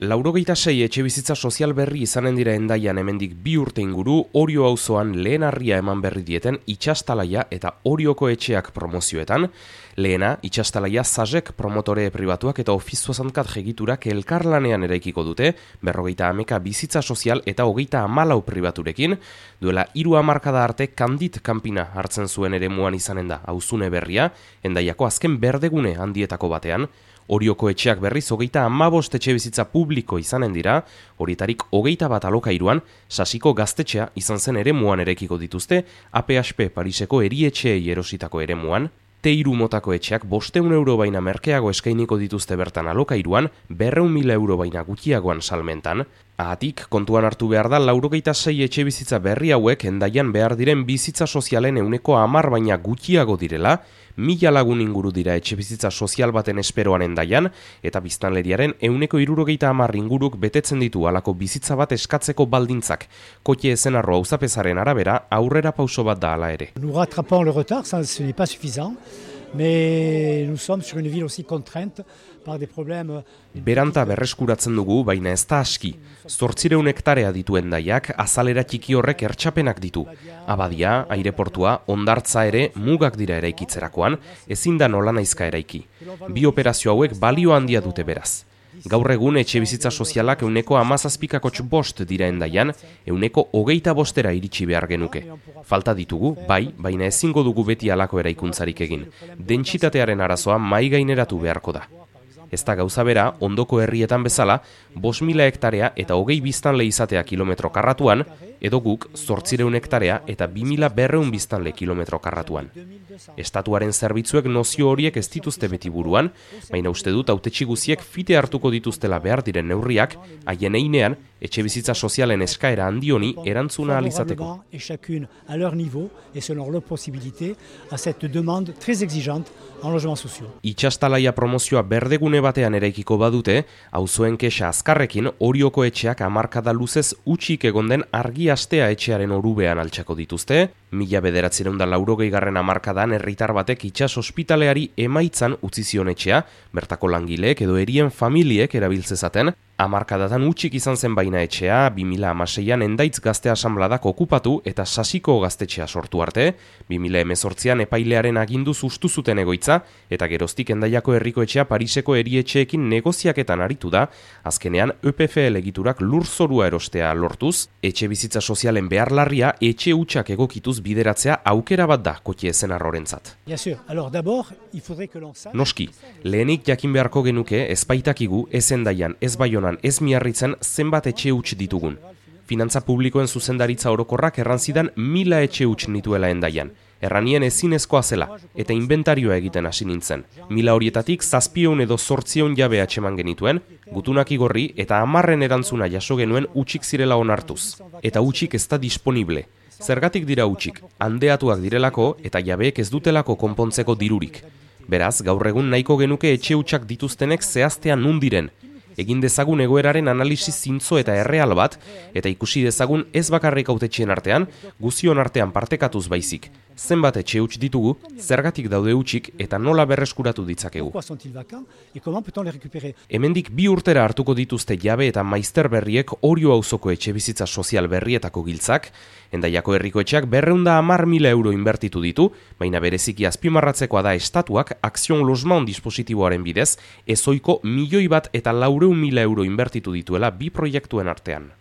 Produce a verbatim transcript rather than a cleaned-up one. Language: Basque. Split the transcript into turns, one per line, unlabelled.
Laurogeita sei etxebizitza sozial berri izanen dira Hendaian hemendik bi urte inguru, Orio auzoan lehen harria eman berri dieten Itsastalaia eta Orioko etxeak promozioetan. Lehena, Itsastalaia Sazek promotore pribatuak eta ofizioazankat jegiturak elkarlanean eraikiko dute, berrogeita hameka bizitza sozial eta hogeita hamalau pribaturekin. Duela hiru hamarkada arte Kandit kanpina hartzen zuen eremuan izanen da auzune berria, Hendaiako azken berdegune handietako batean. Orioko etxeak berriz hogeita hamabost etxebizitza publiko izanen dira, horietarik hogeita bat alokairuan, Sasiko gaztetxea izan zen eremuan erekiko dituzte, A P H P Pariseko erietxeei erositako eremuan, T hiru motako etxeak bosteun euro baina merkeago eskainiko dituzte bertan alokairuan, berreun mila euro baina gutxiagoan salmentan. Ahatik, kontuan hartu behar da, laurogeita sei etxebizitza berri hauek Hendaian behar diren bizitza sozialen euneko hamar baina gutxiago direla, mila lagun inguru dira etxebizitza sozial baten esperoan Hendaian, eta biztanleriaren euneko hirurogeita hamar inguruk betetzen ditu halako bizitza bat eskatzeko baldintzak. Kotie Ezenarro auzapezaren arabera, aurrera pauso bat da hala ere.
Nous rattrapons le retard, ça ce n'est pas suffisant. Mais nous sommes sur une ville aussi contrainte par des problèmes.
Beranta berreskuratzen dugu, baina ez da aski. Zortzireun hektarea ditu Hendaiak, azalera txiki horrek ertxapenak ditu. Abadia, aireportua, hondartza ere mugak dira eraikitzerakoan, ezin da nolanaizka eraiki. Bi operazio hauek balio handia dute beraz. Gaur egun etxebizitza sozialak euneko hamazazpikakotx bost dira Hendaian, euneko hogeita bostera iritsi behar genuke. Falta ditugu, bai, baina ezingo dugu beti halako eraikuntzarik egin. Dentsitatearen arazoa mai gaineratu beharko da. Ez da gauza bera, ondoko herrietan bezala, bost mila hektarea eta hogei biztanle izatea kilometro karratuan, edo guk zortzireun hektarea eta bi mila berreun biztanle kilometro karratuan. Estatuaren zerbitzuek nozio horiek ez dituzte beti buruan, baina uste dut hautetsi guziek fite hartuko dituztela behar diren neurriak, haien einean, etxebizitza sozialen eskaera handioni erantzuna ahal izateko. Itsastalaia promozioa berdegune batean eraikiko badute, auzoen kexa azkarrekin Orioko etxeak hamarkada luzez utxik egon den argi astea etxearen orubean altxako dituzte, mila bederatziehun eta laurogeigarren hamarkadan herritar batek itsas ospitaleari emaitzan utzi zion etxea, bertako langileek edo erien familiek erabiltzezaten, hamarkadatan utxik izan zen baina etxea, bi mila hamaseian Hendaitz Gazte Asanbladak okupatu eta Sasiko gaztetxea sortu arte, bi mila hemezortzian epailearen aginduz ustu zuten egoitza, eta geroztik Hendaiako herriko etxea Pariseko erietxeekin negoziaketan aritu da, azkenean E P F L egiturak lurzorua erostea lortuz, etxe bizitza sozialen behar larria etxe hutsak egokituz bideratzea aukera bat da Kotie Ezenarrorentzat. Noski, lehenik jakin beharko genuke ez baitakigu ez Hendaian, ez Baionan, ez Miarritzen zenbat etxe huts ditugun. Finantza publikoen zuzendaritza orokorrak errantzidan mila etxe huts nituela Hendaian. Erranien ezinezkoa zela, eta inventarioa egiten hasi nintzen. Mila horietatik zazpieun edo zortzieun jabe atxeman genituen, gutunak igorri eta hamarren erantzuna jaso genuen utxik zirela onartuz. Eta utxik ez da disponible. Zergatik dira utxik, handeatuak direlako eta jabeek ez dutelako konpontzeko dirurik. Beraz, gaur egun nahiko genuke etxe hutsak dituztenek zehaztean nun diren. Egin dezagun egoeraren analisi zintzo eta erreal bat, eta ikusi dezagun ez bakarrik hautetxeen artean, guzion artean partekatuz baizik. Zenbat etxe huts ditugu, zergatik daude hutsik eta nola berreskuratu ditzakegu. Hemendik bi urtera hartuko dituzte jabe eta maizter berriek Orio auzoko etxe bizitza sozial berrietako giltzak, Hendaiako herriko etxeak berreun eta hamar mila euro inbertitu ditu, baina bereziki azpimarratzekoa da estatuak Akzion Losman dispositiboaren bidez, ezoiko milioi bat eta laureun mila euro inbertitu dituela bi proiektuen artean.